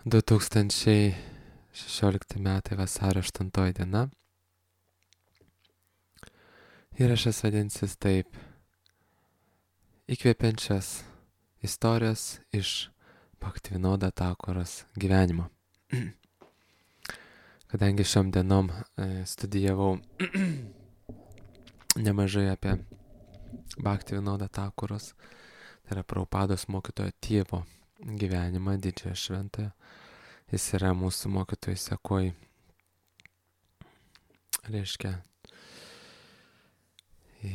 2016 metai vasario 8 diena. Įrašas vadinsis taip: įkvepiančias istorijos iš Bhaktivinoda Thakuros gyvenimo. Kadangi šiom dienom studijavau nemažai apie Bhaktivinoda Thakuros, tai yra Prabhupados mokytojo tėvo gyvenimą, didžiojo šventojo. Jis yra mūsų mokytojų sekoj, reiškia,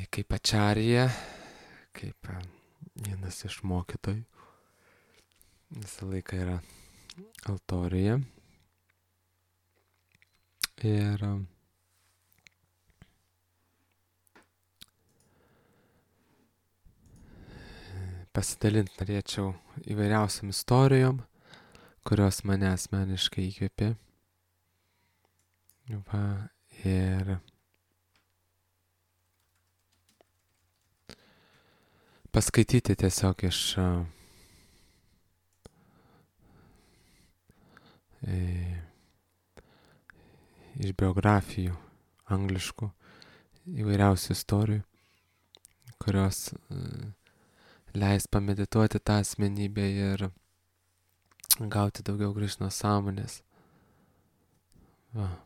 kaip ačarija, kaip vienas iš mokytojų. Visą laiką yra altorijoje. Ir pasidalinti norėčiau įvairiausiam istorijom, kurios mane asmeniškai įkvėpė. Va, ir paskaityti tiesiog iš biografijų angliškų įvairiausių istorijų, kurios leis pamedituoti tą asmenybę ir gauti daugiau Krišnos sąmonės. Va.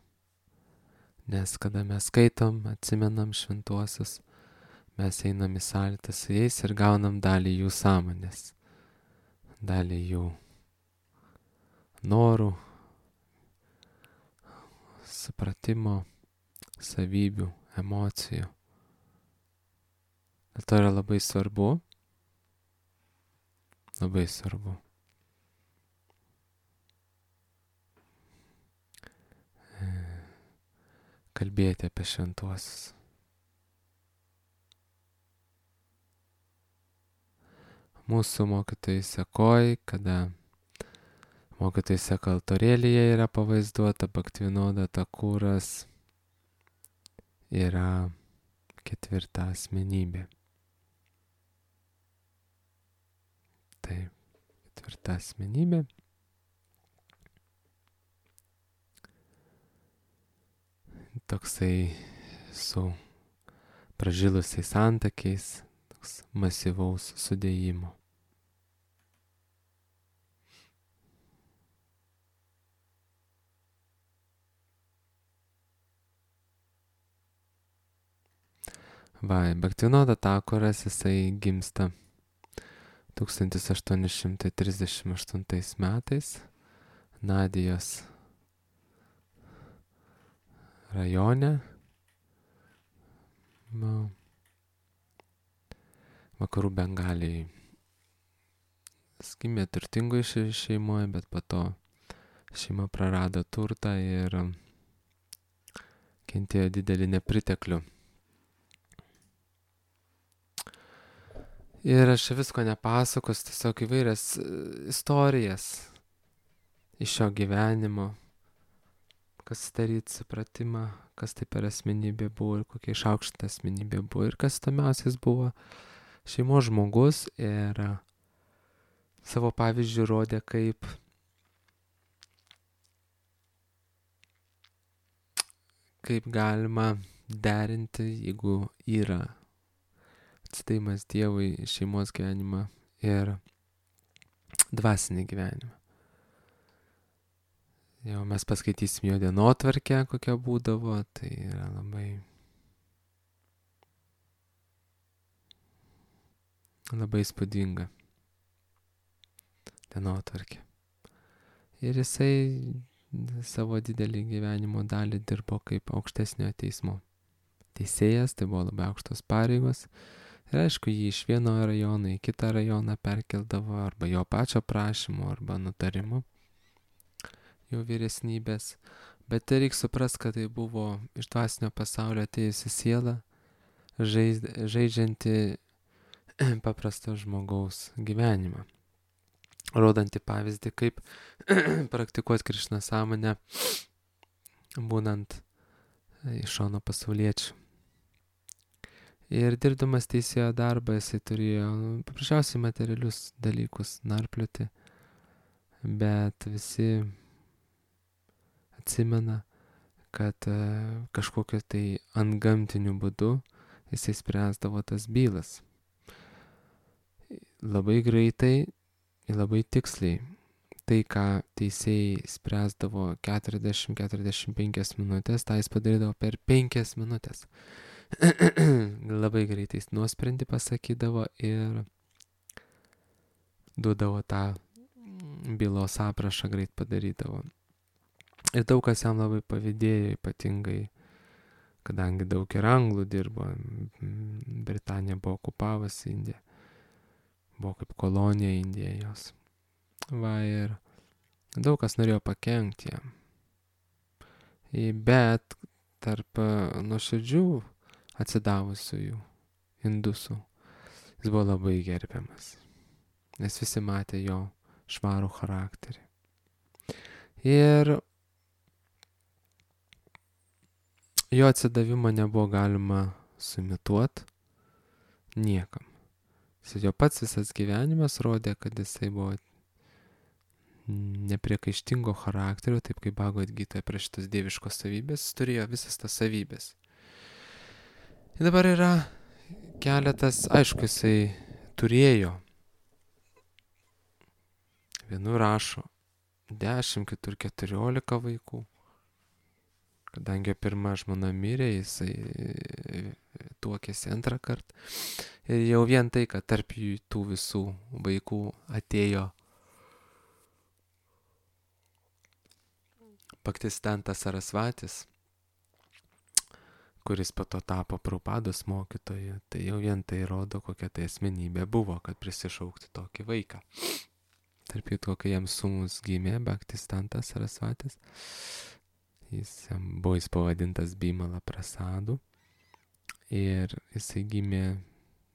Nes kada mes skaitom, atsimenam šventuosius, mes einam į sąlytą su jais ir gaunam dalį jų sąmonės, dalį jų norų, supratimo, savybių, emocijų. Dėl to yra labai svarbu kalbėti apie šventuosius. Mūsų mokytojai sekoj, kada mokytojai seka altorėlyje yra pavaizduota Bhaktivinoda Thakuras, yra ketvirta asmenybė. Taip, ketvirta asmenybė. Toksai su pražilusiais antakiais, toks masyvaus sudėjimo. Va, Bhaktivinoda Thakuras, jisai gimsta 1838 metais Nadijos rajone, vakarų Bengalijai. Jis gimė turtingoje šeimoje, bet po to šeima prarado turtą ir kentėjo didelį nepriteklių. Ir aš visko nepasakos, tiesiog įvairias istorijas iš šio gyvenimo, kas daryti supratimą, kas tai per asmenybė buvo ir kokia išaukštinta asmenybė buvo. Ir kas įdomiausias buvo šeimos žmogus ir savo pavyzdžių rodė, kaip galima derinti, jeigu yra atsidavimas Dievui, šeimos gyvenimą ir dvasinį gyvenimą. Jau mes paskaitysim jo dienotvarkę, kokia būdavo, tai yra labai įspūdinga dienotvarkė. Ir jisai savo didelį gyvenimo dalį dirbo kaip aukštesniojo teismo teisėjas, tai buvo labai aukštos pareigos. Ir aišku, jį iš vieno rajono į kitą rajoną perkeldavo arba jo pačio prašymu, arba nutarimu jo vyresnybės. Bet tai reikia suprast, kad tai buvo iš dvasinio pasaulio atėjusi siela, žaidžianti paprasto žmogaus gyvenimą, rodanti pavyzdį, kaip praktikuoti Krišnos sąmonę, būnant iš šono pasauliečių. Ir dirbdamas teisėjo darbą, jisai turėjo paprasčiausiai materialius dalykus narplioti, bet visi atsimena, kad kažkokiu tai antgamtiniu būdu jisai spręsdavo tas bylas. Labai greitai ir labai tiksliai. Tai, ką teisėjai spręsdavo 40-45 minutės, tą jis padarydavo per 5 minutės. Labai greitai jis nuosprendį pasakydavo ir duodavo tą bylos aprašą, greit padarydavo. Ir daug kas jam labai pavydėjo, ypatingai, kadangi daug ir anglų dirbo, Britanija buvo okupavusi Indiją, buvo kaip kolonija Indija jos. Va, ir daug kas norėjo pakenkti jam. Bet tarp nuoširdžių atsidavusiųjų indusų jis buvo labai gerbiamas, nes visi matė jo švarų charakterį. Ir jo atsidavimą nebuvo galima suimituoti niekam. Jo pats visas gyvenimas rodė, kad jisai buvo nepriekaištingo charakterio, taip kaip Bhagavad Gitoje prie šitos dieviškos savybės, jis turėjo visas tas savybės. Ir dabar yra keletas, aišku, jisai turėjo. Vienu rašo 10, kitur 14 vaikų. Kadangi pirma žmona mirė, jisai tuokėsi antrą kartą. Ir jau vien tai, kad tarp jų tų visų vaikų atėjo Bhaktisiddhanta Sarasvatis, kuris po to tapo Prabhupados mokytoju, tai jau vien tai rodo, kokia tai asmenybė buvo, kad prisišaukti tokį vaiką. Tarp jų to, kai jam sūnus gimė, Bhaktisiddhanta Sarasvatis, jis pavadintas Bimala Prasadu ir jisai gimė,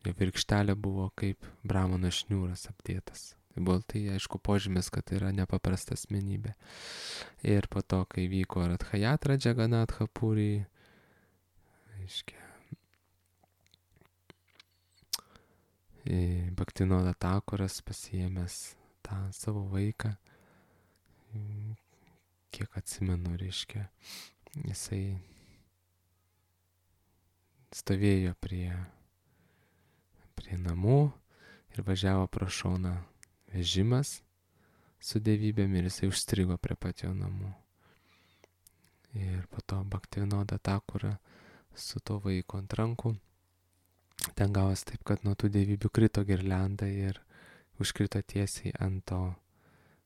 jo virkštelė buvo kaip brahmano šniūras apdėtas. Tai buvo tai, aišku, požymis, kad tai yra nepaprasta asmenybė. Ir po to, kai vyko Radhajatra Džaganatha Puri, reiškia, Bhaktinoda Thakuras pasiėmęs tą savo vaiką, kiek atsimenu, reiškia, jisai stovėjo prie namų ir važiavo pro šoną vežimas su dievybėm ir jisai užstrigo prie pat jo namų. Ir po to Bhaktinoda Thakura su to vaiko ant rankų. Ten gavos taip, kad nuo tų dievybių krito girlianda ir užkrito tiesiai ant to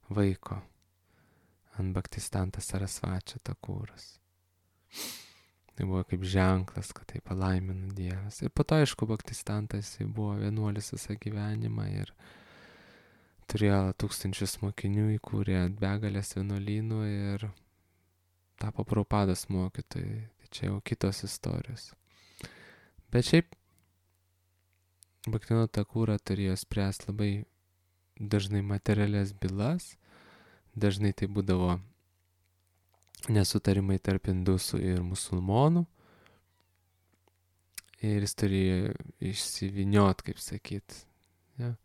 vaiko, ant Bhaktisiddhanta Sarasvačio Thakuras. Tai buvo kaip ženklas, kad tai palaimino Dievas. Ir po to, aišku, Bhaktisiddhantas buvo vienuolis visą gyvenimą ir turėjo 1000 mokinių, įkūrė begalės vienuolynų ir tapo Prabhupados mokytojai. Tai čia jau kitos istorijos. Bet šiaip Bhaktinoda Thakura turėjo spręsti labai dažnai materialias bylas, dažnai tai būdavo nesutarimai tarp indusų ir musulmonų. Ir jis turėjo išsivyniot, kaip sakyt, ja,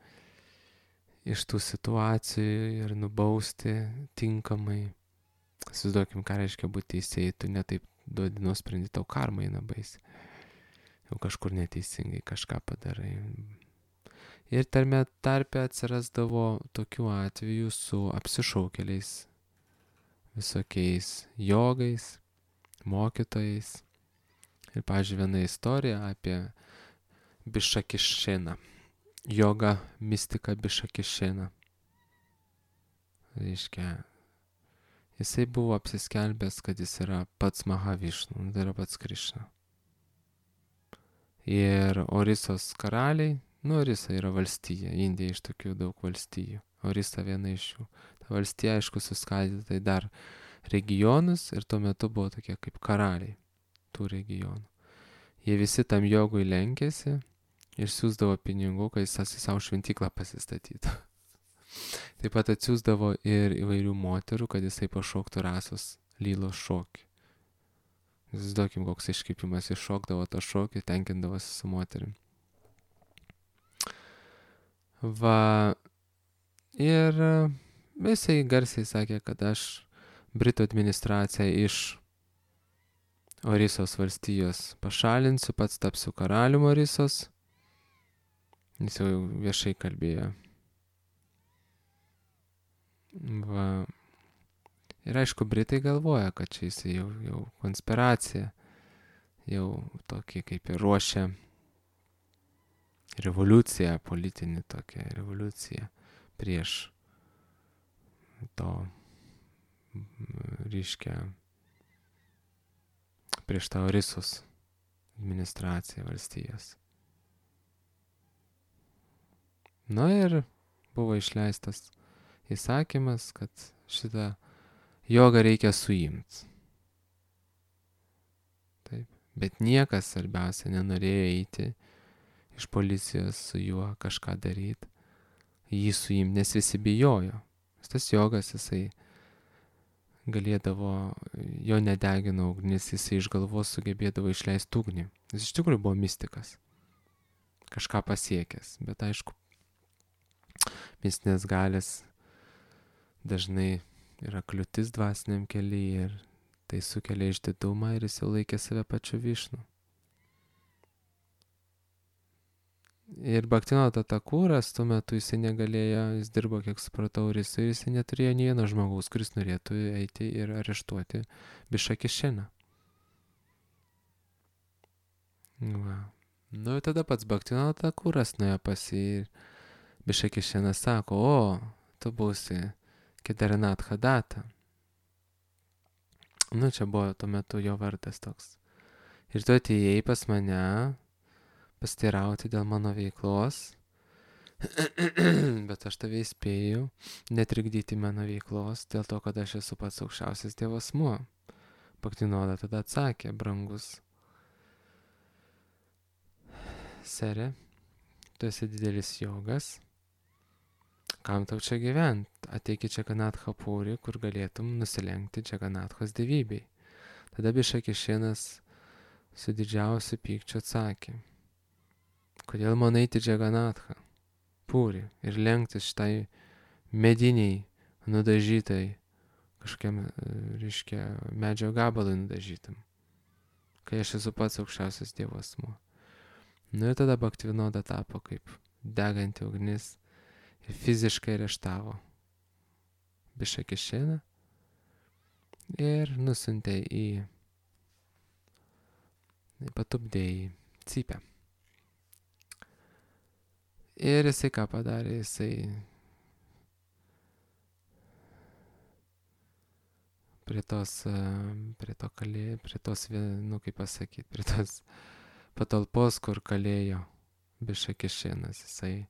iš tų situacijų ir nubausti tinkamai. Įsivaizduokim, ką reiškia būti teisėjai, tu netaip duodi nuosprendį, tau karma eina baisi. Jau kažkur neteisingai kažką padarai. Ir tarpe atsirasdavo tokių atvejų su apsišaukėliais, visokiais jogais, mokytojais. Ir, pavyzdžiui, viena istorija apie Bišakišeną. Joga mistika Bišakišeną. Reiškia, jisai buvo apsiskelbęs, kad jis yra pats Mahavišnu, tai yra pats Krišna. Ir Orisos karaliai, Orisa yra valstija, Indija iš tokių daug valstijų, Orisa viena iš jų. Ta valstija, aišku, suskaidyta į dar regionus ir tuo metu buvo tokie kaip karaliai tų regionų. Jie visi tam jogui lenkėsi ir siūsdavo pinigų, kad jis savo šventyklą pasistatytų. Taip pat atsiųsdavo ir įvairių moterų, kad jisai pašoktų rasos lylos šokį. Įsivaizduokim, koks iškrypimas, iššokdavo tą šokį, tenkindavosi su moterim. Va, ir Jisai garsiai sakė, kad aš Britų administraciją iš Orisos valstijos pašalinsiu, pats tapsiu karalium Orisos. Jis jau viešai kalbėjo. Va. Ir aišku, Britai galvoja, kad čia jisai jau konspiracija, jau tokį kaip ir ruošia revoliuciją, politinį tokią revoliuciją prieš to, reiškia, prieš tą Orisos administraciją valstijos. Na ir buvo išleistas įsakymas, kad šitą jogą reikia suimti. Taip. Bet niekas svarbiausia nenorėjo eiti iš policijos su juo kažką daryti, jį suimti, nes visi bijojo. Tas jogas, jisai galėdavo, jo nedegino ugnis, jisai iš galvos sugebėdavo išleisti ugnį. Jis iš tikrųjų buvo mistikas, kažką pasiekęs, bet aišku, mistinės galės dažnai yra kliūtis dvasiniam kelyje ir tai sukelia išdidumą ir jis jau laikė save pačiu Višnu. Ir Bhaktivinoda Thakuras tuo metu jisai negalėjo, jis dirbo, kiek supratau, ir jisai neturėjo nei vieno žmogaus, kuris norėtų eiti ir areštuoti Bišakišiną. Va. Nu ir tada pats Bhaktivinoda Thakuras nuėjo pas jį ir Bišakišinas sako, o, tu būsi Kedarinat Hadata. Nu, čia buvo tuo metu jo vardas toks. Ir tu atėjai pas mane pasiteirauti dėl mano veiklos, bet aš tave įspėju netrikdyti mano veiklos dėl to, kad aš esu pats aukščiausias Dievo asmuo. Bhaktivinoda tada atsakė, brangus sere, tu esi didelis jogas, kam tau čia gyventi? Ateik į Džaganatha Purį, kur galėtum nusilenkti Džaganathos dievybei. Tada Bišakišinas su didžiausiu pykčiu atsakė, kodėl man eiti Džaganathą Purį ir lenktis šitai mediniai nudažytai, kažkokiam, reiškia, medžio gabalui nudažytam, kai aš esu pats aukščiausias Dievo asmuo. Nu ir tada Bhaktivinoda tapo kaip deganti ugnis ir fiziškai areštavo Bišakišiną ir nusiuntė patupdė į cypę. Ir jisai ką padarė, jisai prie tos, nu kaip pasakyti, prie tos patalpos, kur kalėjo Bišakišinas, jisai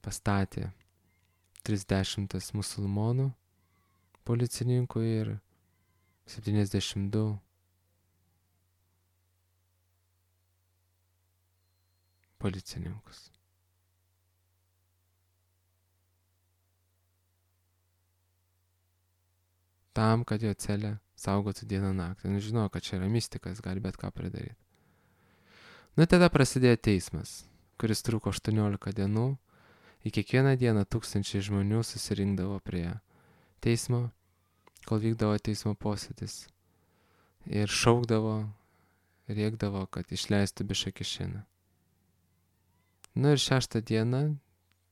pastatė 30 musulmonų policininkų ir 72 policininkus. Tam, kad jo celę saugotų dieną naktį. Nu, žinau, kad čia yra mistikas, gali bet ką pridaryti. Nu, tada prasidėjo teismas, kuris truko 18 dienų. Į kiekvieną dieną 1000 žmonių susirinkdavo prie teismo, kol vykdavo teismo posėdis. Ir šaukdavo, rėkdavo, kad išleistų Bišakišiną. Nu ir 6 dieną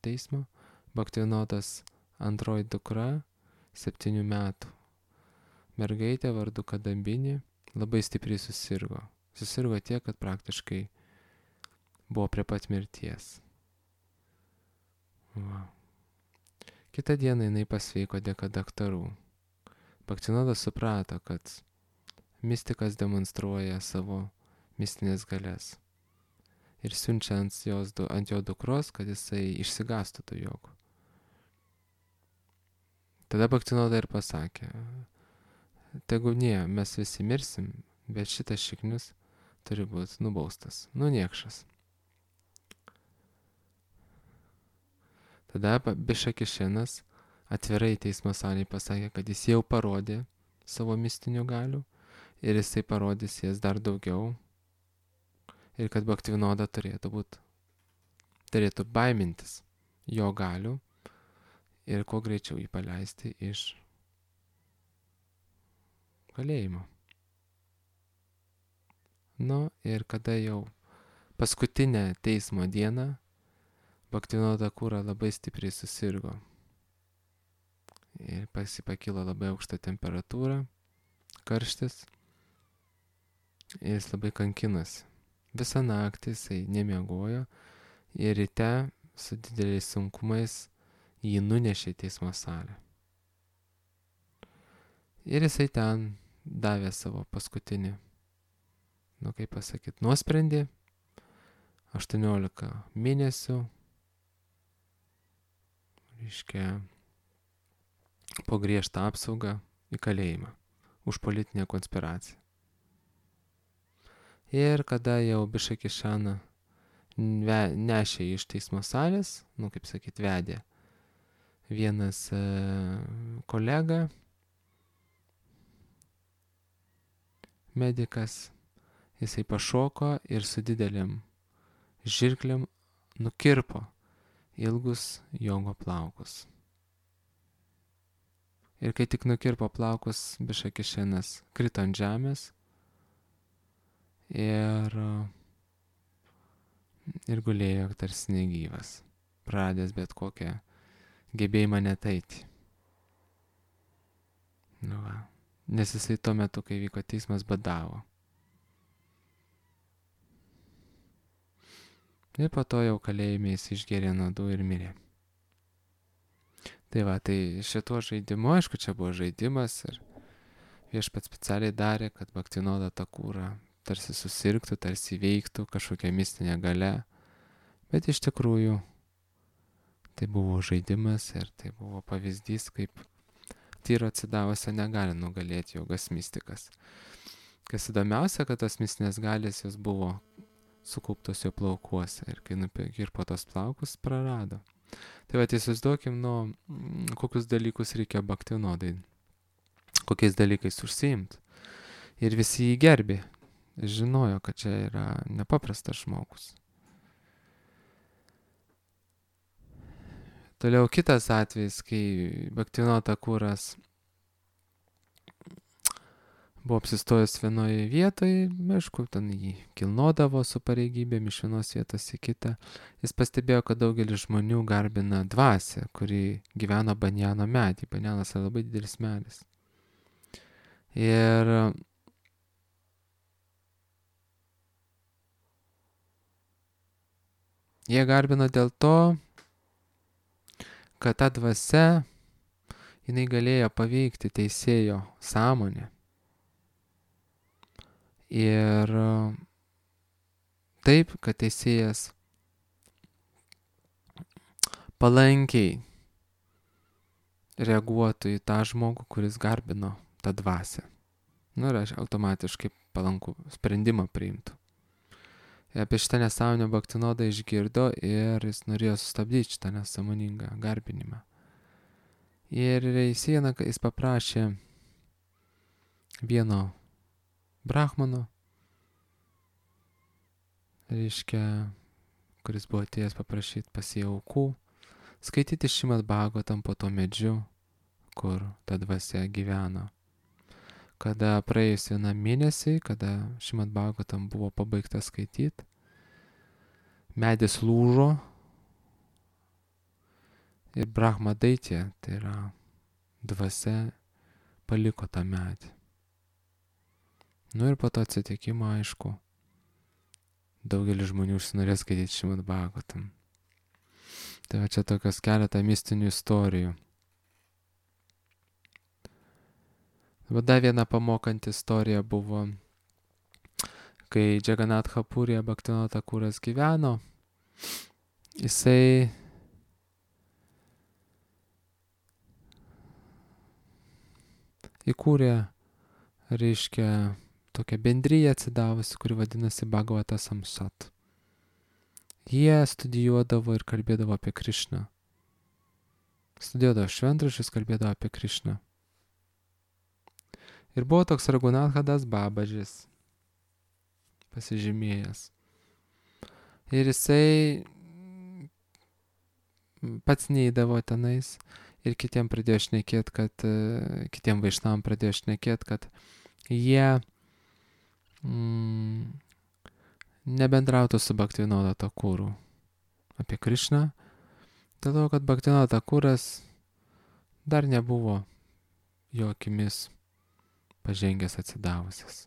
teismo Bhaktivinodos antroji dukra, 7 metų mergaitė vardu Kadambinė, labai stipriai susirgo. Susirgo tiek, kad praktiškai buvo prie pat mirties. Va. Kitą dieną jinai pasveiko dėka daktarų. Bhaktivinodas suprato, kad mistikas demonstruoja savo mistinės galias ir siunčia ant jo dukros, kad jisai išsigastų tų jogų. Tada Bhaktivinoda ir pasakė, tegu nie, mes visi mirsim, bet šitas šiknius turi būti nubaustas, niekšas. Tada Bišakišinas atvirai teismo salėje pasakė, kad jis jau parodė savo mistinių galių ir jisai parodys jas dar daugiau ir kad Bhaktivinoda turėtų baimintis jo galių ir kuo greičiau jį paleisti iš kalėjimo. Nu ir kada jau paskutinę teismo dieną Bhaktivinoda Thakura labai stipriai susirgo. Ir pakilo labai aukšta temperatūra, karštis. Ir jis labai kankinosi. Visą naktį jisai nemiegojo ir ryte su dideliais sunkumais jį nunešė į teismo salę. Ir jisai ten davė savo paskutinį, nuosprendį, 18 mėnesių, po griežtą apsaugą į kalėjimą už politinę konspiraciją. Ir kada jau Bišakišaną nešė iš teismo salės, vedė vienas kolega, medikas, jisai pašoko ir su dideliam žirklėm nukirpo ilgus Jongo plaukus. Ir kai tik nukirpo plaukus, Bišakišanas krito ant žemės ir gulėjo tarsi negyvas, praradęs bet kokią gebėjimą net eiti. Nes jisai tuo metu, kai vyko teismas, badavo. Ir po to jau kalėjime jis išgėrė nuodų ir mirė. Tai šituo žaidimu, aišku, čia buvo žaidimas ir viešpats specialiai darė, kad Bhaktivinoda Thakura tarsi susirgtų, tarsi veiktų kažkokia mistinė galia. Bet iš tikrųjų tai buvo žaidimas ir tai buvo pavyzdys, kaip tyro atsidavusio negali nugalėti jogas mistikas. Kas įdomiausia, kad tos mistinės galės jos buvo sukauptos jo plaukuose ir kai nukirpo tos plaukus, prarado. Tai įsivaizduokim, kokius dalykus reikia Bhaktivinodai, kokiais dalykais užsiimti. Ir visi jį gerbė, žinojo, kad čia yra nepaprastas žmogus. Toliau kitas atvejis, kai Bhaktivinoda Thakuras buvo apsistojęs vienoje vietoje, aišku, ten jį kilnodavo su pareigybėm iš vienos vietos į kitą. Jis pastebėjo, kad daugelis žmonių garbina dvasią, kuri gyveno banjano medį. Banjanas yra labai didelis medis. Ir jie garbino dėl to, kad ta dvasia, jinai galėjo paveikti teisėjo sąmonę. Ir taip, kad teisėjas palankiai reaguotų į tą žmogų, kuris garbino tą dvasią. Ir automatiškai palankų sprendimą priimtų. Apie šitą nesąmonę Bhaktivinoda išgirdo ir jis norėjo sustabdyti šitą nesąmoningą garbinimą. Ir jis paprašė vieno brahmano, kuris buvo atėjęs paprašyti pas jį aukų, skaityti Šrimad Bhagavatam po to medžiu, kur ta dvasia gyveno. Kada praėjus vienam mėnesiui, kada Šrimad Bhagavatam buvo pabaigta skaityti, medis lūžo ir Brahma Daitya, tai yra dvasia, paliko tą medį. Ir po to atsitikimo, aišku, daugelis žmonių užsinorės skaityti Šrimad Bhagavatam. Tai čia tokios keletą mistinių istorijų. Dar viena pamokanti istorija buvo, kai Džaganatha Puryje Bhaktivinoda Thakuras gyveno, jisai įkūrė, tokią bendriją atsidavusi, kuri vadinasi Bhagavata Samsat. Jie studijuodavo ir kalbėdavo apie Krišną. Studijuodavo šventraščius, kalbėdavo apie Krišną. Ir buvo toks Raghunathadas Babažis, pasižymėjęs. Ir jisai pats neįdavo tenais ir kitiem pradėjo šnekėti, kad kitiem vaišnavam pradėjo šnekėti, kad jie nebendrautų su Bhaktivinoda Thakuru apie Krišną, dėl to, kad Bhaktivinoda Thakuras dar nebuvo jo akimis pažengęs atsidavęs.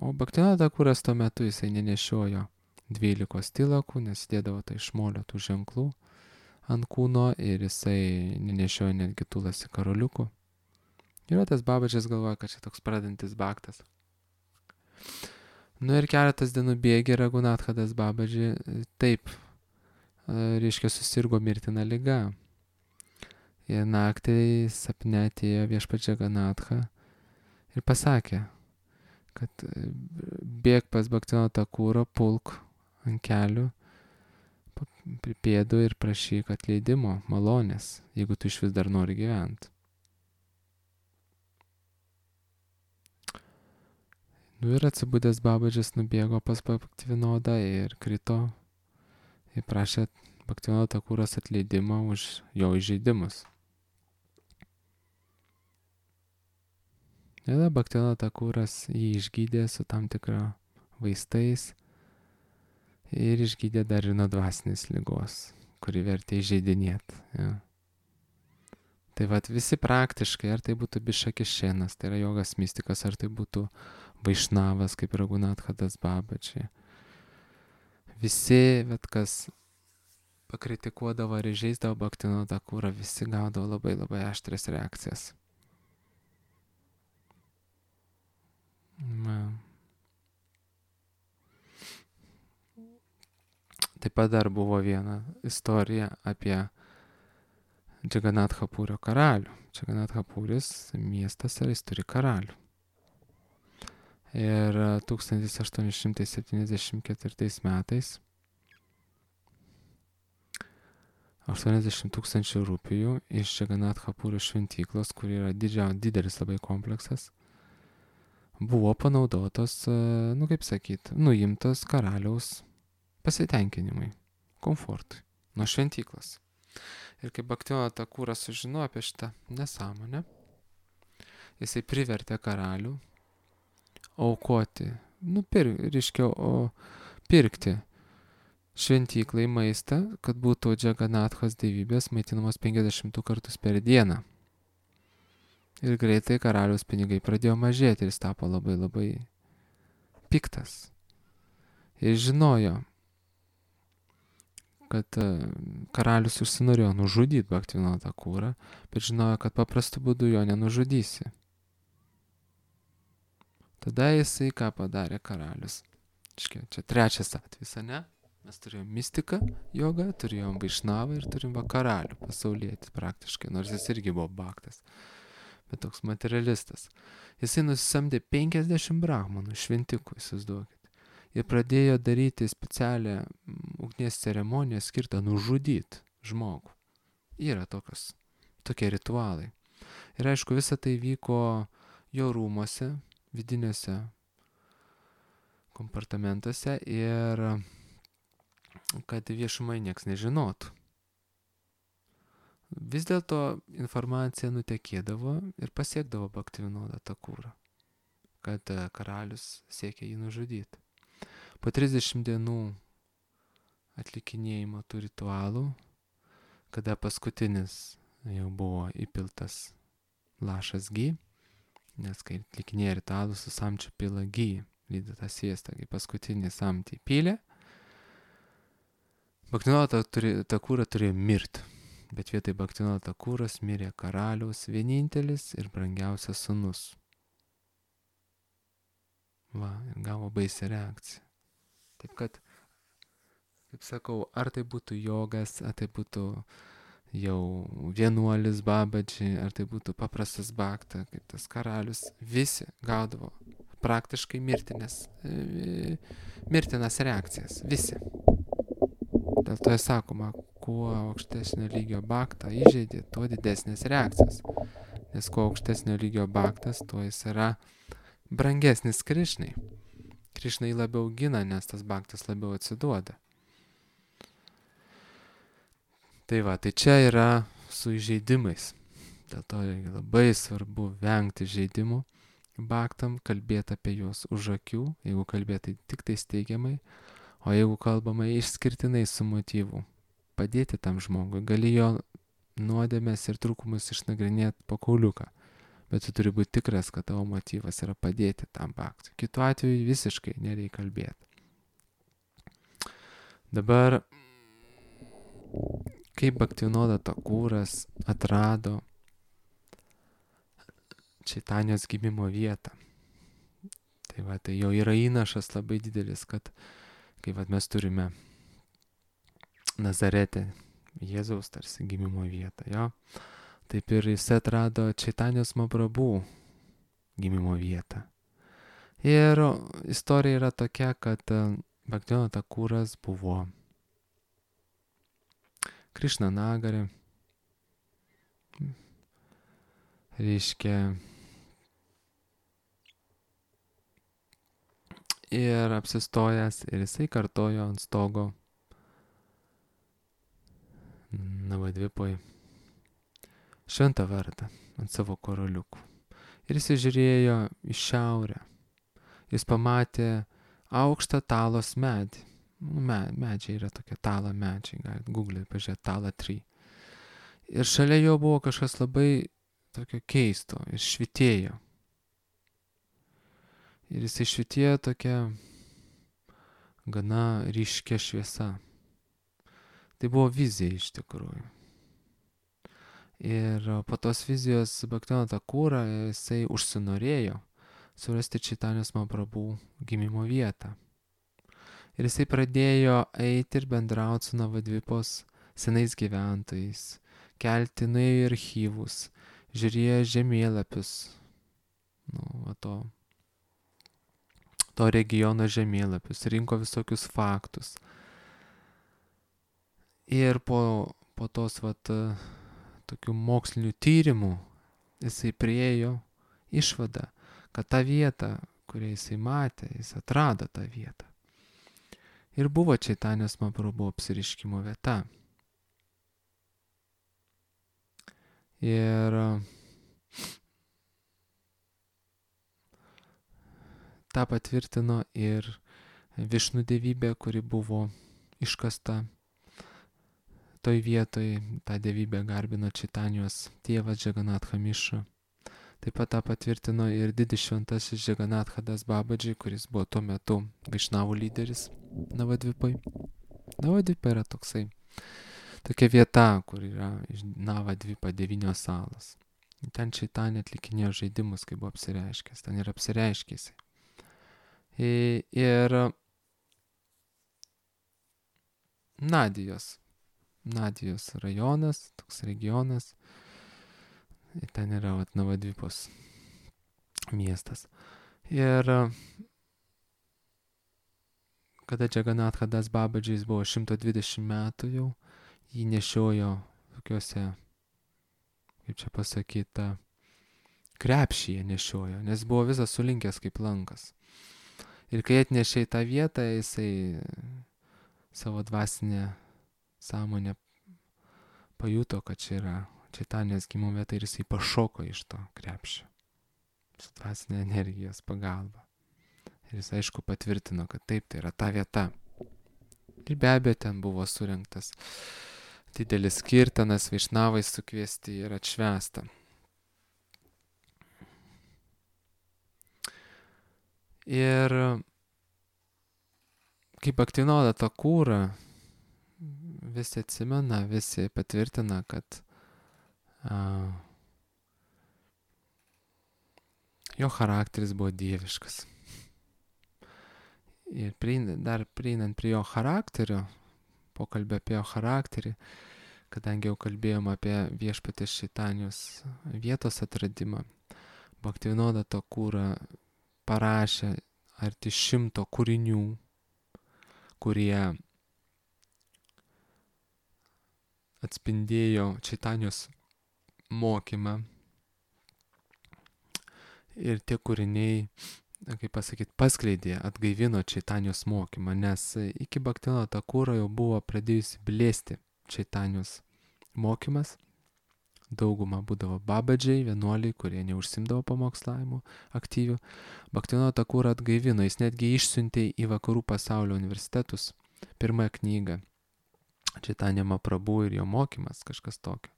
O Bhaktivinoda Thakuras tuo metu jisai nenešiojo 12 tilakų, nes dėdavo tai iš molio tų ženklų ant kūno ir jisai nenešiojo netgi tulasi karoliukų. Ir tas Babadžis galvoja, kad čia toks pradantis bhaktas. Ir keletas dienų bėgė Raghunathadas Babadži taip, reiškia, susirgo mirtina liga. Ir naktį sapne atėjo viešpats Jagannatha ir pasakė, kad bėg pas Bhaktivinodą Thakurą, pulk ant kelių, prie pėdų ir prašyk atleidimo, malonės, jeigu tu iš vis dar nori gyventi. Ir atsibudęs Babadžis nubėgo pas Bhaktivinodą ir krito ir prašė Bhaktivinodo Thakuros atleidimą už jo įžeidimus. Ir Bhaktivinodo Thakuras jį išgydė su tam tikra vaistais ir išgydė dar ir nuo dvasinės ligos, kuri vertė įžeidinėti. Ja. Tai visi praktiškai, ar tai būtų Bišakešenas, tai yra jogas mistikas, ar tai būtų Vaišnavas, kaip Raghunathadas Babadži. Visi, kas pakritikuodavo ir įžeisdavo Bhaktivinodą Thakurą, visi gaudavo labai labai aštrias reakcijas. Taip pat dar buvo viena istorija apie Džaganathapurio karalių. Džaganathapuris miestas ir jis turi karalių. Ir 1874 metais 80 000 rupijų iš Džaganathapurio šventyklos, kur yra didelis labai kompleksas, buvo panaudotos, nuimtos karaliaus pasitenkinimui, komfortui nuo šventyklos. Ir kai Bhaktivinodas Thakuras sužinojo apie šitą nesąmonę, jisai privertė karalių aukoti, pirkti šventyklai maistą, kad būtų Džaganathos dievybės maitinamos 50 kartus per dieną. Ir greitai karaliaus pinigai pradėjo mažėti ir jis tapo labai labai piktas. Ir žinojo, kad karalius užsinorėjo nužudyti Bhaktivinodą Thakurą, bet žinojo, kad paprastu būdu jo nenužudysi. Tada jisai ką padarė karalius? Čia trečias atvejis, ne? Mes turėjom mistiką, jogą, turėjom Vaišnavą ir turim karalių pasaulietį praktiškai, nors jis irgi buvo bhaktas, bet toks materialistas. Jisai nusisamdė 50 brahmanų šventikų, įsivaizduokit. Ir pradėjo daryti specialią ugnies ceremoniją skirtą nužudyti žmogų. Yra tokie ritualai. Ir aišku, visa tai vyko jo rūmuose, vidiniuose kompartamentuose ir kad viešumai nieks nežinotų. Vis dėlto informacija nutekėdavo ir pasiekdavo Bhaktivinodą Thakurą, kad karalius siekia jį nužudyti. Po 30 dienų atlikinėjimo tų ritualų, kada paskutinis jau buvo įpiltas lašas gy, nes kai atlikinėja ritualus su samčiu pila gy, lydi tą sviestą, kai paskutinį samtį pylė, Bhaktivinodas Thakurą turėjo mirti, bet vietoj Bhaktivinodo Thakuros mirė karaliaus vienintelis ir brangiausias sūnus. Ir gavo baisią reakciją. Taip kad, kaip sakau, ar tai būtų jogas, ar tai būtų jau vienuolis Babadži, ar tai būtų paprastas bhakta, kaip tas karalius, visi gaudavo praktiškai mirtinas reakcijas, visi. Dėl to sakoma, kuo aukštesnio lygio bhaktą įžeidė, tuo didesnės reakcijos. Nes kuo aukštesnio lygio bhaktas, tuo jis yra brangesnis Krišnai. Krišnai labiau gina, nes tas bhaktas labiau atsiduoda. Tai va, tai čia yra su įžeidimais. Dėl to labai svarbu vengti žaidimų baktam, kalbėti apie juos už akių, jeigu kalbėti tik tai teigiamai, o jeigu kalbama išskirtinai su motyvu, padėti tam žmogui, gali jo nuodėmės ir trūkumus išnagrinėti po kauliuką, bet tu turi būti tikras, kad tavo motyvas yra padėti tam baktui. Kitu atveju visiškai nereikia kalbėti. Dabar, kaip Bhaktivinoda Thakuras atrado Čaitanijos gimimo vietą. Tai va, tai jau yra įnašas labai didelis, kad kai va, mes turime Nazarete Jėzaus tarsi gimimo vietą, jo, taip ir jis atrado Čaitanijos Mahaprabhu gimimo vietą. Ir istorija yra tokia, kad Bhaktivinoda Thakuras buvo Krišna Nagare, reiškia, ir apsistojęs, ir jisai kartojo ant stogo Navadvipoj šventą vardą ant savo karoliukų. Ir jis žiūrėjo į šiaurę. Jis pamatė aukštą talos medį. Medžiai yra tokie talo medžiai, galite Google pažiūrėti, tala tree. Ir šalia jo buvo kažkas labai tokio keisto ir švitėjo. Ir jisai švitėjo tokia gana ryškia šviesa. Tai buvo vizija iš tikrųjų. Ir po tos vizijos Bhaktivinoda Thakura jisai užsinorėjo surasti Čaitanijos Mahaprabhu gimimo vietą. Ir jisai pradėjo eiti ir bendrauti su Navadvipos senais gyventojais, kelti nuėjo į archyvus, žiūrėjo žemėlapius, to regiono žemėlapius, rinko visokius faktus. Ir po tos tokių mokslinių tyrimų jisai priėjo išvadą, kad tą vietą, kurią jisai matė, jis atrado tą vietą. Ir buvo Čaitanijos Mahaprabhu apsireiškimo vieta. Ir tą patvirtino ir Višnų dievybė, kuri buvo iškasta toj vietoj. Tą dievybę garbino Čaitanijos tėvas Džaganatha Mišra. Taip pat tą patvirtino ir didis šventasis Džaganathadas Babadži, kuris buvo tuo metu Vaišnavų lyderis Navadvipoj. Navadvipa yra tokia vieta, kur yra iš Navadvipa 9 salos. Ten Čaitanija atlikinėjo žaidimus, kai buvo apsireiškęs. Ten yra apsireiškęs. Ir Nadijos rajonas, toks regionas. Ir ten yra Navadvipos miestas. Ir kada Džaganathadas Babadžis buvo 120 metų jau, jį nešiojo tokiuose, kaip čia pasakyta, krepšyje nešiojo, nes buvo visas sulinkęs kaip lankas. Ir kai atnešė į tą vietą, jisai savo dvasinę sąmonę pajuto, kad čia yra Čaitanijos gimimo vieta ir jisai pašoko iš to krepšio su dvasinė energijos pagalba. Ir jis aišku patvirtino, kad taip, tai yra ta vieta. Ir be abejo ten buvo surengtas didelis kirtanas, vaišnavai sukviesti ir atšvęsta. Ir kaip Bhaktivinoda Thakura visi atsimena, visi patvirtina, kad jo charakteris buvo dieviškas. Ir dar prieinant prie jo charakterio, pokalbė apie jo charakterį, kadangi jau kalbėjom apie viešpatės Čaitanijos vietos atradimą, Bhaktivinoda Thakura parašė arti 100 kūrinių, kurie atspindėjo Čaitanijos mokymą. Ir tie kūriniai, kaip pasakyti, paskleidė, atgaivino Čaitanijos mokymą, nes iki Bhaktivinoda Thakura jau buvo pradėjusi blėsti Čaitanijos mokymas. Dauguma būdavo babadžiai, vienuoliai, kurie neužsimdavo pamokslavimu aktyvių. Bhaktivinoda Thakurą atgaivino, jis netgi išsiuntė į vakarų pasaulio universitetus pirmąją knygą Chaitanya Mahaprabhu ir jo mokymas, kažkas tokio,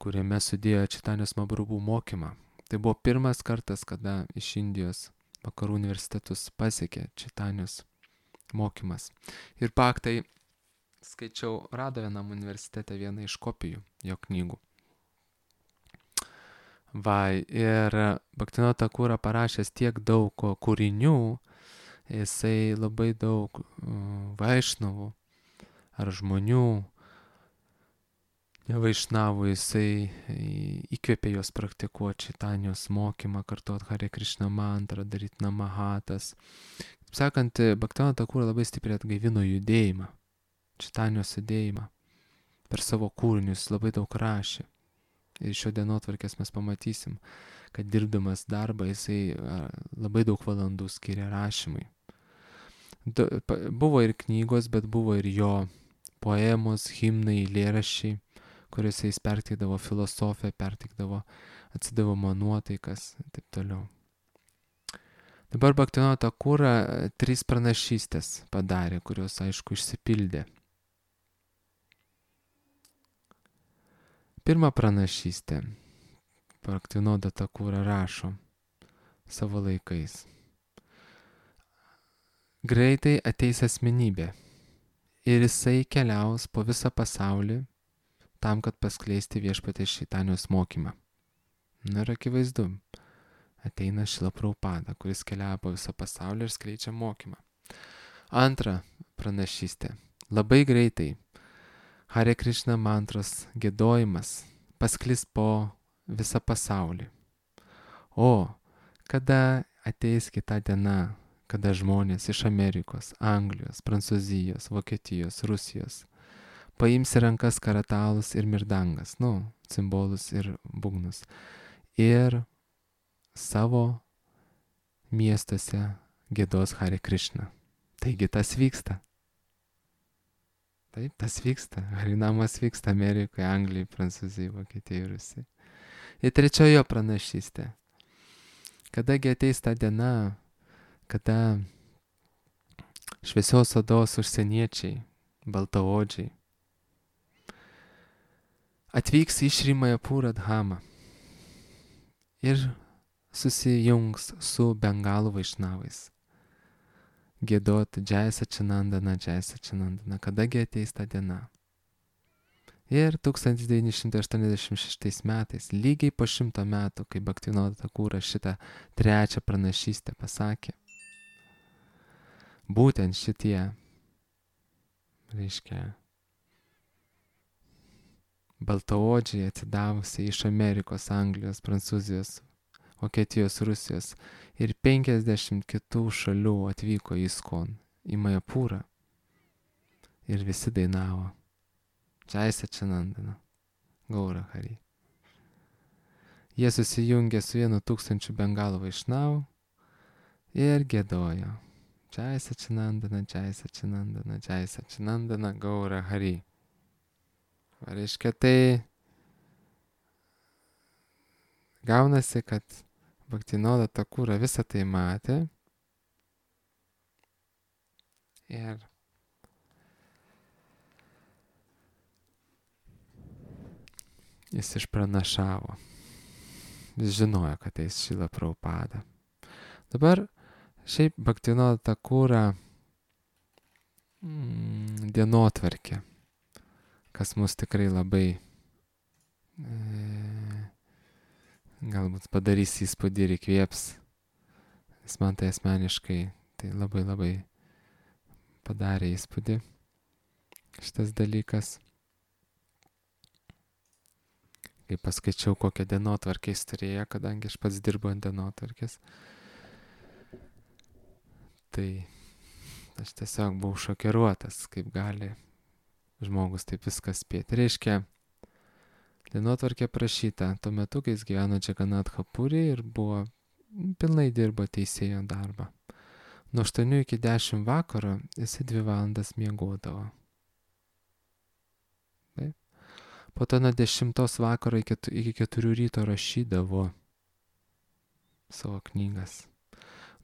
kuriame sudėjo Chaitanyos Mahaprabhu mokymą. Tai buvo pirmas kartas, kada iš Indijos vakarų universitetus pasiekė Chaitanyos mokymas. Ir paktai skaičiau, rado vienam universitete vieną iš kopijų jo knygų. Ir Bhaktivinoda Thakura parašęs tiek daug kūrinių, jisai labai daug vaišnavų ar žmonių, nevaišnavų, jisai įkvėpė juos praktikuoti Chaitanijos mokymą, kartuoti Hare Krishna mantrą, daryti namahatas. Kaip sakant, Bhaktivinoda Thakura labai stipriai atgaivino judėjimą, Chaitanijos judėjimą. Per savo kūrinius labai daug rašė. Ir šio dienotvarkės mes pamatysim, kad dirbdamas darbą jisai labai daug valandų skiria rašymui. Buvo ir knygos, bet buvo ir jo poemos, himnai, eilėraščiai, kuriuose jis perteikdavo filosofiją, atsidavo nuotaikas ir taip toliau. Dabar Bhaktivinoda Thakura 3 pranašystės padarė, kurios aišku išsipildė. Pirma pranašystė. Bhaktivinoda Thakura rašo savo laikais. Greitai ateis asmenybė ir jisai keliaus po visą pasaulį tam, kad paskleisti viešpaties Chaitanijos mokymą. Ir akivaizdu, ateina Šrila Prabhupada, kuris keliauja po visą pasaulį ir skleidžia mokymą. Antra pranašystė. Labai greitai Hare Krishna mantros giedojimas pasklis po visą pasaulį. O kada ateis kita diena, kada žmonės iš Amerikos, Anglijos, Prancūzijos, Vokietijos, Rusijos paims į rankas karatalus ir mirdangas, cimbolus ir būgnus, ir savo miestuose giedos Hare Krishna. Taigi tas vyksta. Taip, tas vyksta. Harinamas vyksta Amerikoje, Anglijoje, Prancūzijoje, Vokietijoje, Rusijoje. Ir trečiojo pranašystė. Kadagi ateis ta diena, kada šviesios odos užsieniečiai, baltaodžiai, atvyks į Šri Mayapura Dhamą ir susijungs su bengalų vaišnavais. Giedot Jai Sačinandana, kadagi ateis ta diena. Ir 1986 metais, lygiai po 100 metų, kai Bhaktivinoda Thakura šitą trečią pranašystę pasakė, būtent šitie, baltaodžiai atsidavusiai iš Amerikos, Anglijos, Prancūzijos, Vokietijos, Rusijos ir 50 kitų šalių atvyko į ISKCON, į Mayapūrą ir visi dainavo Jai Sačinandana, Gaura Hari. Jie susijungė su 1000 bengalų vaišnavų ir giedojo Jai Sačinandana, Gaura Hari. Reiškia, tai gaunasi, kad Bhaktivinoda Thakura visą tai matė ir jis išpranašavo. Jis žinojo, kad eis Šrila Prabhupada. Dabar šiaip Bhaktivinoda Thakura dienotvarkė, kas mus tikrai labai galbūt padarys įspūdį ir įkvėps. Nes man tai asmeniškai tai labai padarė įspūdį šitas dalykas. Kai paskaičiau, kokią dienotvarkę jis turėjo, kadangi aš pats dirbu ant dienotvarkės, tai aš tiesiog buvau šokiruotas, kaip gali žmogus taip viskas spėti. Reiškia, dienotvarkė prašyta tuo metu, kai jis gyveno Džaganatha Puri ir pilnai dirbo teisėjo darbą. Nuo 8 iki 10 vakaro jisai 2 valandas miegodavo. Taip. Po to nuo 10 vakaro iki 4 ryto rašydavo savo knygas.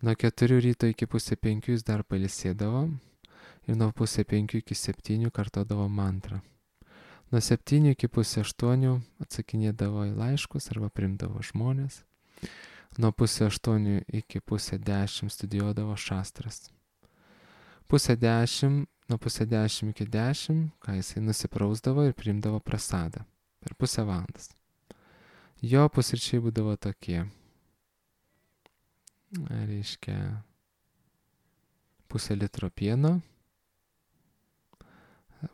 Nuo 4 ryto iki pusė 5 jis dar pailsėdavo ir nuo pusė 5 iki 7 kartodavo mantrą. Nuo 7 iki pusė 8 atsakinėdavo į laiškus arba primdavo žmonės. Nuo pusė 8 iki pusė 10 studijuodavo šastras. Nuo pusė 10 iki 10, ką jisai nusiprausdavo ir priimdavo prasadą per pusę valandas. Jo pusryčiai būdavo tokie. Reiškia, pusę litro pieno,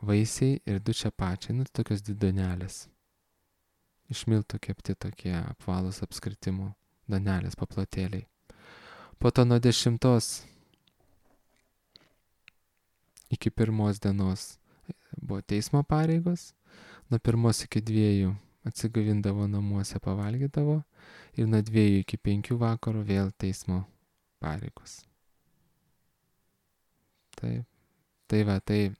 vaisiai ir 2 čiapačiai, tokios 2 donelės. Iš miltų kepti tokie apvalūs apskritimų donelės, paplotėliai. Po to nuo 10 iki 1 dienos buvo teismo pareigos, nuo 1 iki 2 atsigavindavo namuose, pavalgydavo ir nuo 2 iki 5 vakaro vėl teismo pareigos. Taip. Tai va, tai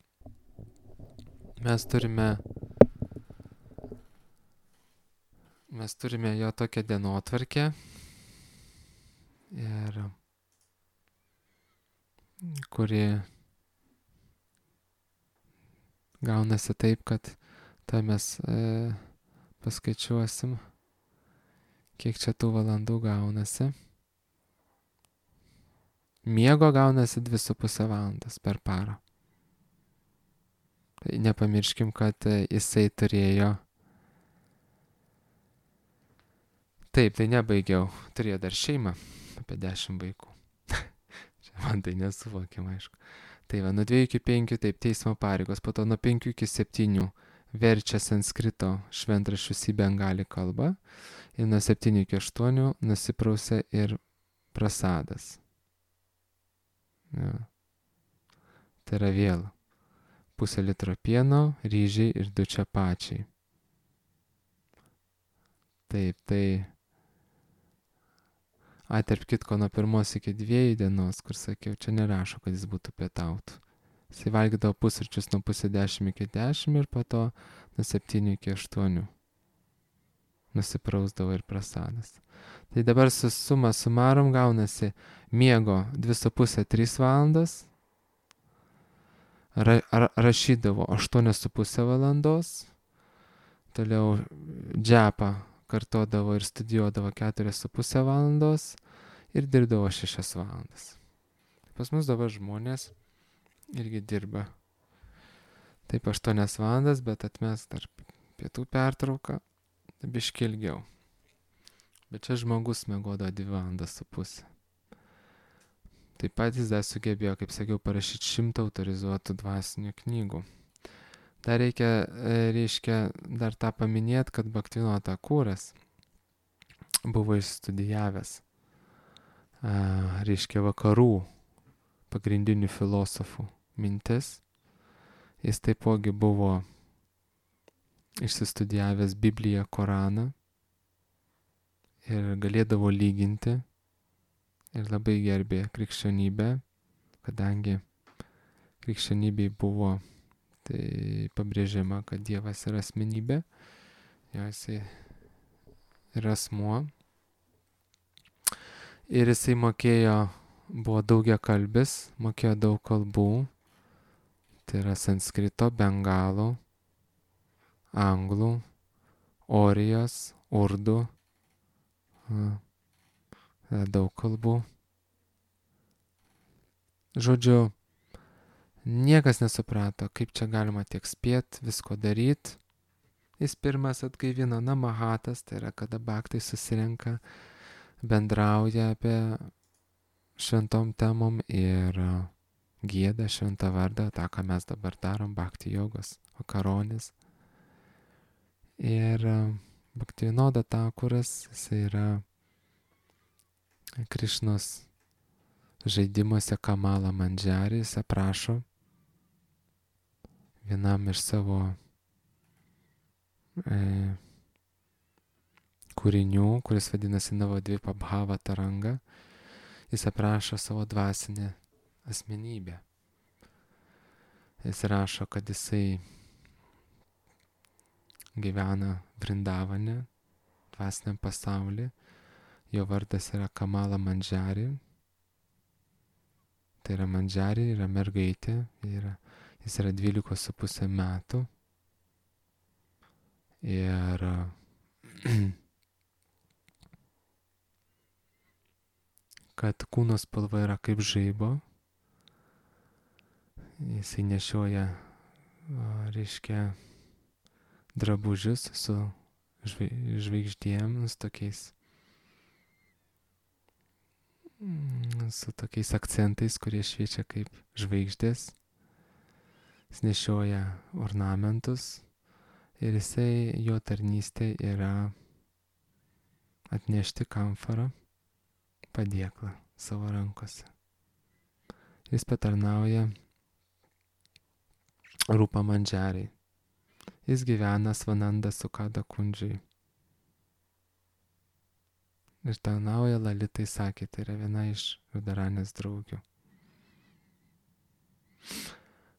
mes turime jo tokią dienotvarkę ir kuri gaunasi taip, kad tai mes paskaičiuosim, kiek čia tų valandų gaunasi. Miego gaunasi 2,5 valandos per parą. Tai nepamirškim, kad jisai turėjo. Taip, tai nebaigiau. Turėjo dar šeimą, apie 10 vaikų. Čia man tai nesuvokiama, aišku. Tai va, nuo 2 iki 5 taip teismo pareigos, po to nuo 5 iki 7 verčia sanskrito šventraščius į bengalį kalbą ir nuo 7 iki 8 nusiprausia ir prasadas. Ja. Tai yra vėl pusę litro pieno, ryžiai ir 2 čiapačiai. Taip, tai tarp kitko nuo 1 iki 2 dienos, kur sakiau, čia nerašo, kad jis būtų pietautų. Jisai valgydavo pusryčius nuo pusė 10 iki 10 ir po to nuo 7 iki 8 nusiprausdavo ir prasadas. Tai dabar su suma sumarom gaunasi miego 2,5-3 valandas, rašydavo 8,5 valandos, toliau džepą kartodavo ir studijuodavo 4,5 valandos ir dirbdavo 6 valandas. Pas mus dabar žmonės irgi dirba taip 8 valandas, bet atmes dar pietų pertrauką, biškį ilgiau. Bet čia žmogus miegodavo 2,5 valandas. Taip pat jis dar sugebėjo, kaip sakiau, parašyti 100 autorizuotų dvasinių knygų. Dar reiškia dar tą paminėti, kad Bhaktivinoda Thakuras buvo išstudijavęs, reiškia, vakarų pagrindinių filosofų mintis. Jis taipogi buvo išsistudijavęs Bibliją, Koraną ir galėdavo lyginti ir labai gerbė krikščionybę, kadangi krikščionybei buvo tai pabrėžiama, kad Dievas yra asmenybė, jisai yra asmuo. Ir jisai buvo daugiakalbis, mokėjo daug kalbų, tai yra sanskrito, bengalų, anglų, orijos, urdu, daug kalbų. Žodžiu, niekas nesuprato, kaip čia galima tiek spėt, visko daryti. Jis pirmas atgaivino namahatas, tai yra, kada bhaktai susirenka, bendrauja apie šventom temom ir gieda šventą vardą, tą, ką mes dabar darom, bhakti jogos, vakaronės. Ir Bhaktivinoda Thakuras, jis yra Krišnos žaidimuose Kamala Mandžari, jis aprašo vienam iš savo kūrinių, kuris vadinasi Navadvipa Bhava Taranga, jis aprašo savo dvasinę asmenybę. Jis rašo, kad jisai gyvena Vrindavane, dvasiniam pasaulyje. Jo vardas yra Kamala Mandžari. Tai yra Mandžari, yra mergaitė, jis yra 12,5 metų. Ir kad kūno spalva yra kaip žaibo. Jisai nešioja, reiškia, drabužius su žvaigždėm, su tokiais akcentais, kurie šviečia kaip žvaigždės. Jis nešioja ornamentus ir jo tarnystė yra atnešti kamfarą, padėklą savo rankose. Jis patarnauja Rupa Mandžariai. Jis gyvena Svananda Sukada Kundžiai. Ir tarnauja Lalitai Sakį, tai yra viena iš Radharanės draugių.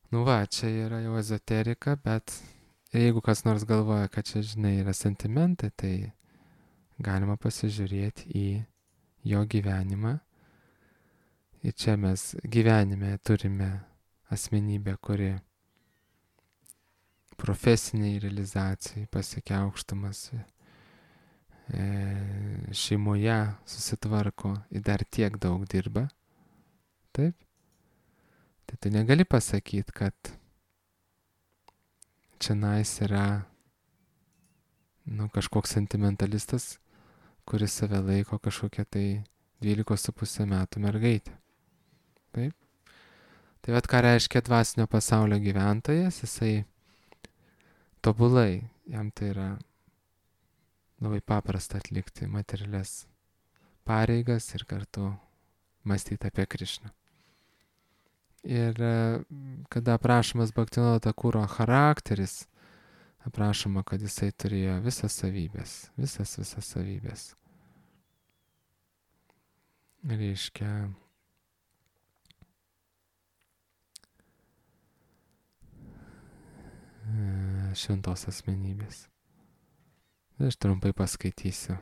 Nu va, čia yra jau ezoterika, bet jeigu kas nors galvoja, kad čia, žinai, yra sentimentai, tai galima pasižiūrėti į jo gyvenimą. Ir čia mes gyvenime turime asmenybę, kuri profesiniai realizacijai pasiekia aukštumas, šeimoje susitvarko ir dar tiek daug dirba. Taip? Tai tu negali pasakyti, kad čionais yra kažkoks sentimentalistas, kuris save laiko kažkokia tai 12,5 metų mergaitė. Taip? Tai vat ką reiškia dvasinio pasaulio gyventojas, jisai tobulai, jam tai yra labai paprasta atlikti materialias pareigas ir kartu mąstyti apie Krišną. Ir kada aprašomas Bhaktivinoda Thakuro charakteris, aprašoma, kad jisai turėjo visas savybės. Reiškia, šventos asmenybės. Aš trumpai paskaitysiu.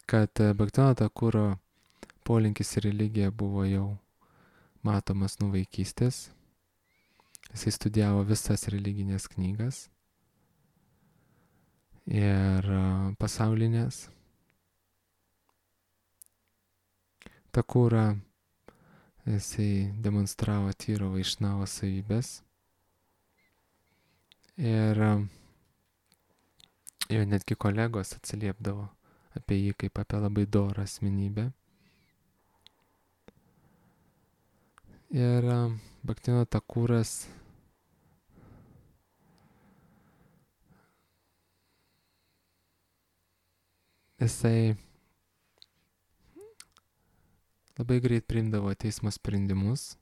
Kad Bhaktivinoda Thakuro polinkis į religiją buvo jau matomas nuo vaikystės. Jisai studijavo visas religinės knygas ir pasaulinės. Thakura jisai demonstravo tyro vaišnavo savybės ir jo netgi kolegos atsiliepdavo apie jį kaip apie labai dorą asmenybę. Ir Bhaktivinoda Thakuras jisai labai greit priimdavo teismo sprendimus,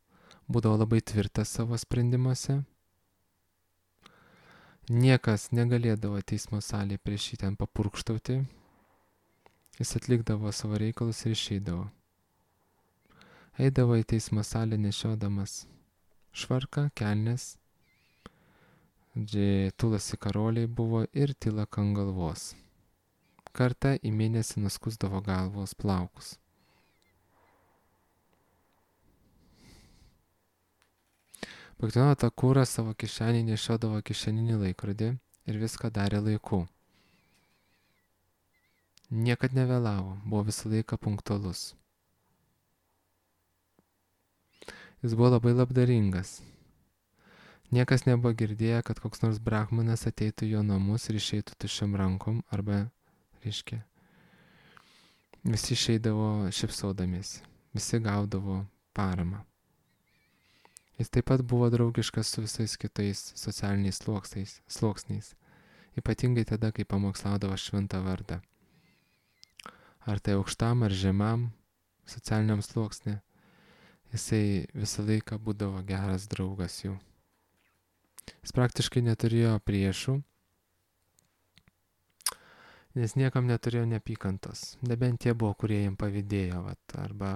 būdavo labai tvirtas savo sprendimuose. Niekas negalėdavo teismo salėje prieš jį ten papurkštauti. Jis atlikdavo savo reikalus ir išeidavo. Eidavo į teismo salę nešiodamas švarką, kelnes, tulasi karoliai buvo ir tilaka ant galvos. Kartą į mėnesį nuskusdavo galvos plaukus. Bhaktivinoda Thakuras savo kišenį nešiodavo kišeninį laikrodį ir viską darė laiku. Niekad nevėlavo, buvo visą laiką punktualus. Jis buvo labai labdaringas. Niekas nebuvo girdėję, kad koks nors brahmanas ateitų į jo namus ir išeitų tuščiom rankom, arba, reiškia, visi išeidavo šypsodamiesi, visi gaudavo paramą. Jis taip pat buvo draugiškas su visais kitais socialiniais sluoksniais, ypatingai tada, kai pamokslaudavo šventą vardą. Ar tai aukštam ar žemam socialiniam sluoksnė, jisai visą laiką būdavo geras draugas jų. Jis praktiškai neturėjo priešų nes niekam neturėjo neapykantos. Nebent tie buvo, kurie jiem pavydėjo, arba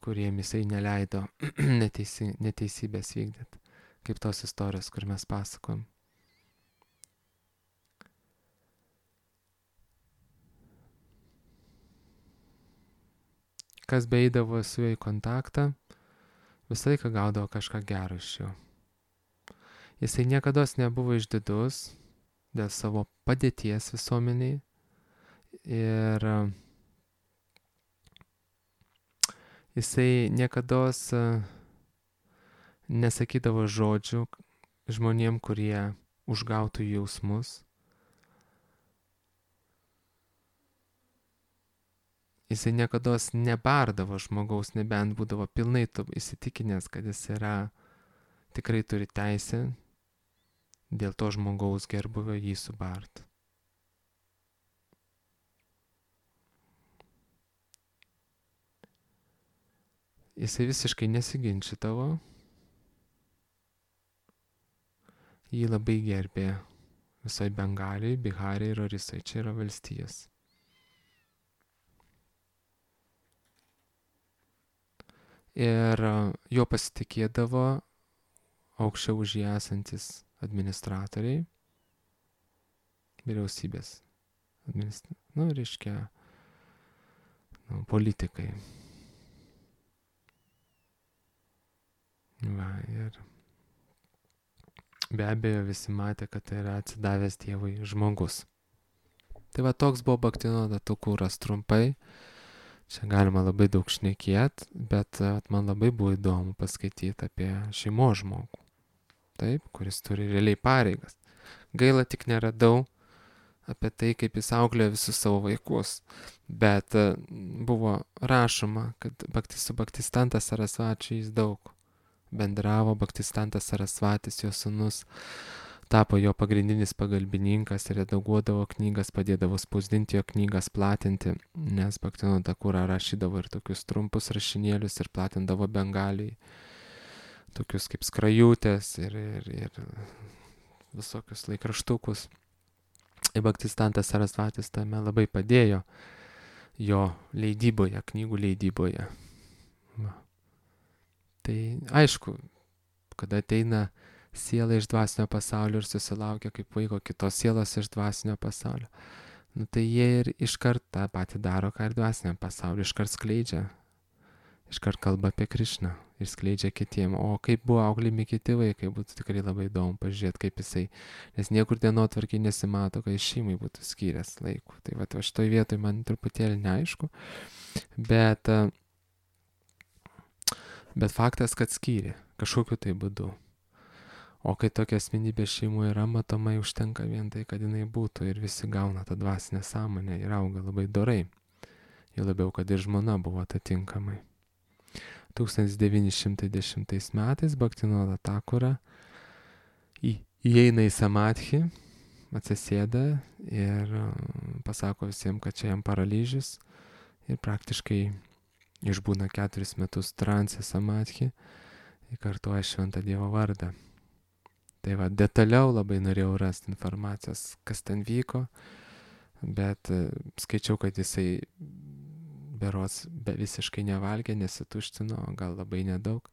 kuriem jisai neleido neteisybės vykdyti, kaip tos istorijos, kur mes pasakom. Kas beeidavo su juo į kontaktą, visą laiką gaudavo kažką gero iš jo. Jisai niekada nebuvo išdidus dėl savo padėties visuomeniai ir jisai niekada nesakydavo žodžių žmonėm, kurie užgautų jausmus. Jisai niekada nebardavo žmogaus, nebent būdavo pilnai įsitikinęs, kad jis tikrai turi teisę dėl to žmogaus gerbuvio jį subart. Jisai visiškai nesiginčydavo, jį labai gerbė visai Bengalijai, Biharai ir Orisai, čia yra valstijos. Ir jo pasitikėdavo aukščiau už jį esantis administratoriai, vyriausybės, politikai. Ir be abejo visi matė, kad tai yra atsidavęs Dievui žmogus. Tai toks buvo Bhaktivinoda Thakuras trumpai. Čia galima labai daug šnekėti, bet man labai buvo įdomu paskaityti apie šeimos žmogų. Taip, kuris turi realiai pareigas. Gaila tik neradau apie tai, kaip jis auklėjo visus savo vaikus. Bet buvo rašoma, kad su Bhaktistantas Sarasvačiu jis daug bendravo. Bhaktistantas Sarasvatis, jo sūnus, tapo jo pagrindinis pagalbininkas ir redaguodavo knygas, padėdavo spausdinti jo knygas, platinti, nes Bhaktivinoda Thakura rašydavo ir tokius trumpus rašinėlius ir platindavo Bengalijai, tokius kaip skrajutės ir visokius laikraštukus. Ir Bhaktistantas Sarasvatis tame labai padėjo jo leidyboje, knygų leidyboje. Tai aišku, kada ateina siela iš dvasinio pasaulio ir susilaukia kaip vaiko kitos sielos iš dvasinio pasaulio, tai jie ir iškart tą patį daro, ką ir dvasiniam pasauliu, iškart skleidžia, iškart kalba apie Krišną ir skleidžia kitiem. O kaip buvo auklimi kiti vaikai, būtų tikrai labai įdomu pažiūrėti, kaip jisai, nes niekur dienotvarkiai nesimato, kad šeimai būtų skyręs laiko. Tai šitoj vietoj man truputėlį neaišku, bet faktas, kad skyrė kažkokiu tai būdu. O kai tokia asmenybė šeimoje yra, matomai užtenka vien tai, kad jinai būtų ir visi gauna tą dvasinę sąmonę ir auga labai dorai. Jau labiau, kad ir žmona buvo atitinkamai. 1910 metais Bhaktivinoda Thakura įeina į samadhį, atsisėda ir pasako visiems, kad čia jam paralyžius ir praktiškai išbūna 4 metus transe samadhį ir kartuoja šventą Dievo vardą. Tai detaliau labai norėjau rasti informacijos, kas ten vyko, bet skaičiau, kad jisai berods visiškai nevalgė, nesituštino, gal labai nedaug,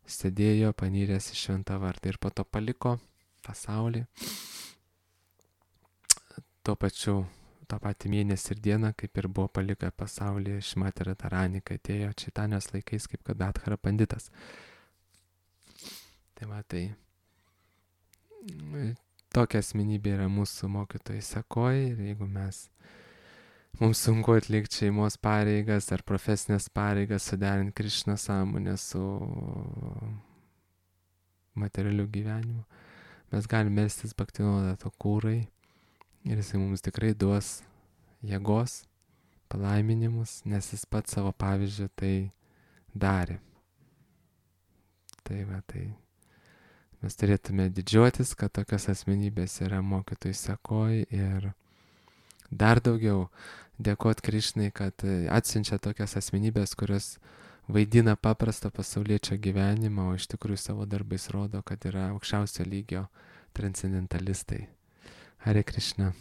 sėdėjo panyręs į šventą vardą ir po to paliko pasaulį. Tuo patį mėnesį ir dieną, kaip ir buvo palikę pasaulį Šrimati Radharani, kai atėjo Čaitanijos laikais, kaip kad Adhara Panditas. Tai tokia asmenybė yra mūsų mokytojai sekoj ir jeigu mums sunku atlikti šeimos pareigas ar profesinės pareigas, suderinti Krišną sąmonę su materialiu gyvenimu, mes galime melstis Bhaktivinoda Thakurai ir jisai mums tikrai duos jėgos, palaiminimus, nes jis pats savo pavyzdžiu tai darė. Tai mes turėtume didžiuotis, kad tokios asmenybės yra mokytojų sekoj ir dar daugiau dėkoti Krišnai, kad atsiunčia tokias asmenybės, kurios vaidina paprastą pasauliečio gyvenimą, o iš tikrųjų savo darbais rodo, kad yra aukščiausio lygio transcendentalistai. Hare Krishna.